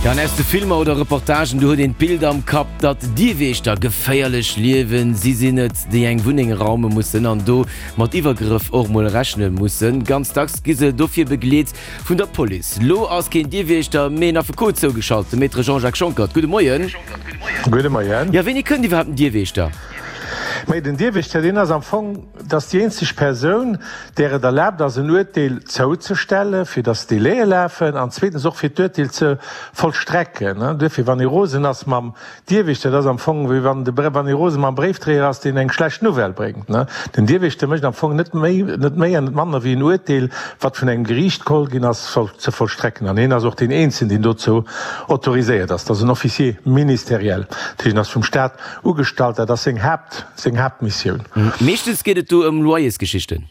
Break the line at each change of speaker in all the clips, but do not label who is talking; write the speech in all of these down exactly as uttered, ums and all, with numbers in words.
Ja, an aus de Filmer oder Reportagen, do huet een d'Bild am Kapp, datt Dierwiechter geféierlech liewen. Si sinn et, déi eng Wunneng raume mussen an do mat Iwwergrëff och mol rechne mussen. Ganz dacks gi se dofir begleet vun der Police. Lo ass keen Dierwiechter, mee en Affekot zougeschalt, de Maître Jean-Jacques Schonckert. Gudde Moien.
Gudde Moien.
Ja, wéini kënnt iwwerhaapt en Dierwiechter?
Mee den Dierwiechter, deen ass am Fong, dat ass déi eenzeg Persoun, där et erlaabt ass, en Uerteel zouzestellen, fir datt d'Délaië lafen, an zweetens och fir d'Uerteel ze vollstrecken. Duerfir, wann ee rosen ass mam Dierwiechter, dat ass am Fong wéi wann de, wann ee rose mam Bréifdréier ass, deen eng schlecht Nouvelle bréngt. Den Dierwiechter mécht am Fong net méi, net méi an net manner wéi en Uerteel, wat vun engem Geriicht geholl ginn ass, ze vollstrecken. An hien ass och deen eenzegen, deen dozou autoriséiert ass. Dat ass en Officier ministériel, dat heescht, en ass vum Staat ugestallt, dat ass seng Haapt, seng Haaptmissioun.
Meeschtens geet et do ëm Loyersgeschichten.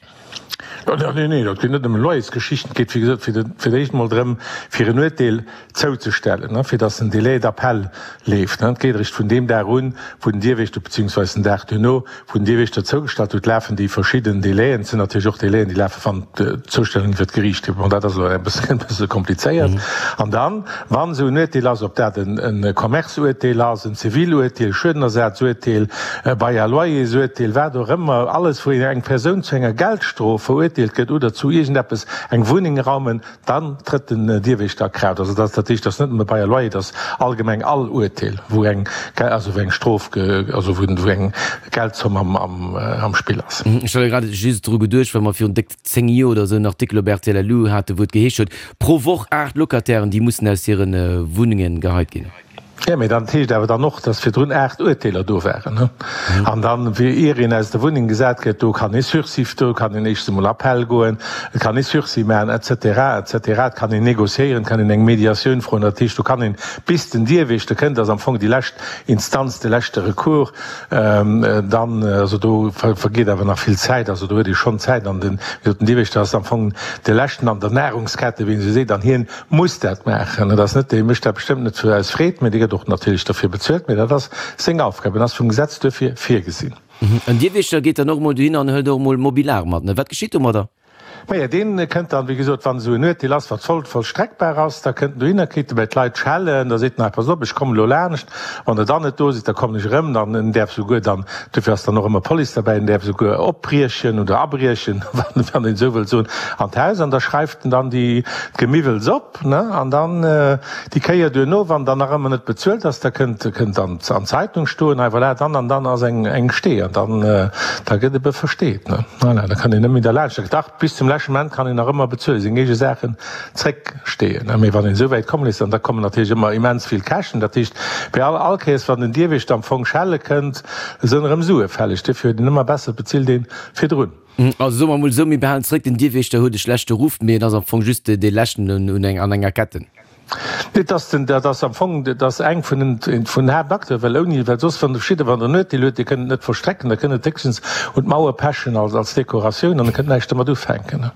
Nee, nee, dat geet net ëm Loyersgeschichten. Et geet, wéi gesot, fir de, fir d'éischt emol drëm, fir en Uerteel zouzestellen, fir datt en Délai d'appel leeft. Et geet eréischt vun deem Dag un, wou den Dierwächter, beziehungsweise den Dag duerno, wou den Dierwächter zougestallt huet, lafen déi verschidden Délaien. Et sinn natierlech och Délaien, déi lafen, wann d'Zoustellung iwwert d'Geriicht geet. Bon, dat ass elo e bësse komplizéiert. An dann, wann esou en Uerteel ass, ob dat e Commerce-Uerteel ass, en Ziviluerteel, Schuedenersazuerteel, e Bail à loyers-Uerteel, wat och ëmmer, alles, wou eng Persoun zu enger Geldstrof verurteelt gëtt oder zu iergendeppes, eng Wunneng raumen, dann trëtt den Dierwächter a Kraaft. Also dat, dat heescht, dat ass net nëmme Bail à loyer, dat ass allgemeng all Uerteel, wou eng, also wou eng Strof, also wou eng Geldzomm am, am, am Spill ass.
Ech hat elo grad just dru geduecht, well mer virun déck zéng Joer oder esou en Artikel op rtl Lu haten, wou et geheescht huet, pro Woch aacht Locatairen, déi mussen aus hire Wunnenge geheit ginn.
Jo, mee dat heescht awer dann och, dass virdrun aacht Urteeler do waren. An dann, wéi ier een aus der Wunneng gesat gëtt, do kann ee Sursis, do kann een éischtens emol Appell goen, et kann ee Sursis maachen, et cetera, et cetera. Et kann een négociéieren, et kann een eng Mediatioun froen. Dat heescht, do kann een, bis den Dierwächter kënnt, ass am Fong déi lescht Instanz, de leschte Recours, dann, also do vergeet awer nach vill Zäit, also do huet ee schonn Zäit. An den, wéi gesot, den Dierwächter ass am Fong de leschten an der Nahrungskette, wéi een esou seet, an hien muss dat maachen. Et ass net, dee mécht dat bestëmmt net fir aus Freed, mee dee gëtt och natierlech derfir bezuelt, mee dat ass seng Aufgab, en ass vum Gesetz duerfir virgesinn.
En Dierwächter geet dann och emol dohin an hëlt och emol Mobiliar mat, ne? Wat geschitt domadder?
Maja, dee kënnt dann, wéi gesot, wann esou en Uerteel ass, wat voll vollstreckbar ass, da kënnt en dohinner, kritt e bei d'Leit schellen, da seet en, hei, pass op, ech kommen elo laanscht, wann Der dann net do sidd, da kommen ech erëm. Dann, en däerf souguer dann, duerfir ass dann och ëmmer Police derbäi, en däerf souguer opbriechen oder abriechen, wann een esou wëllt soen, an d'Haus an da schreift en dann déi, d'Gemiwwels op, ne, an dann déi Kéier duerno, wann dann nach ëmmer net bezuelt ass, da kënnt, kënnt an an d'Zeitung stoen, hei voilà, dann an dann ass eng, eng Stee an dann, da gëtt ebe versteet, ne. Voilà, da kann een net méi derlaanscht. Dach, bis zum leschte Moment kann een nach ëmmer bezuelen, seng eege Saachen zrécksteeën, ne. Mee wann een esou wäit komm léisst, an da kommen natierlech ëmmer immens vill Käschten. Dat heescht, bei all, all Kéiers, wann den Dierwächter am Fong schelle kënnt, sënn erëm Sue fälleg. Duerfir huet een ëmmer besser, et bezilt ee virdrun.
Also soe mer emol esou, mir behalen zréck, den Dierwächter huet e schlechte Ruff, mee en ass am Fong just dee leschten un an enger Ketten.
Nee, et ass den, dat ass am Fong, dat ass eng vun den, vun den Haaptacteuren, well ouni, well soss, wann de verschidde, wann Der en Uerteel huet, Dir kënnt et net vollstrecken, da kënnt et héchstens un d'Mauer pechen als, als Dekoratioun an Der kënnt näischt domat ufänken.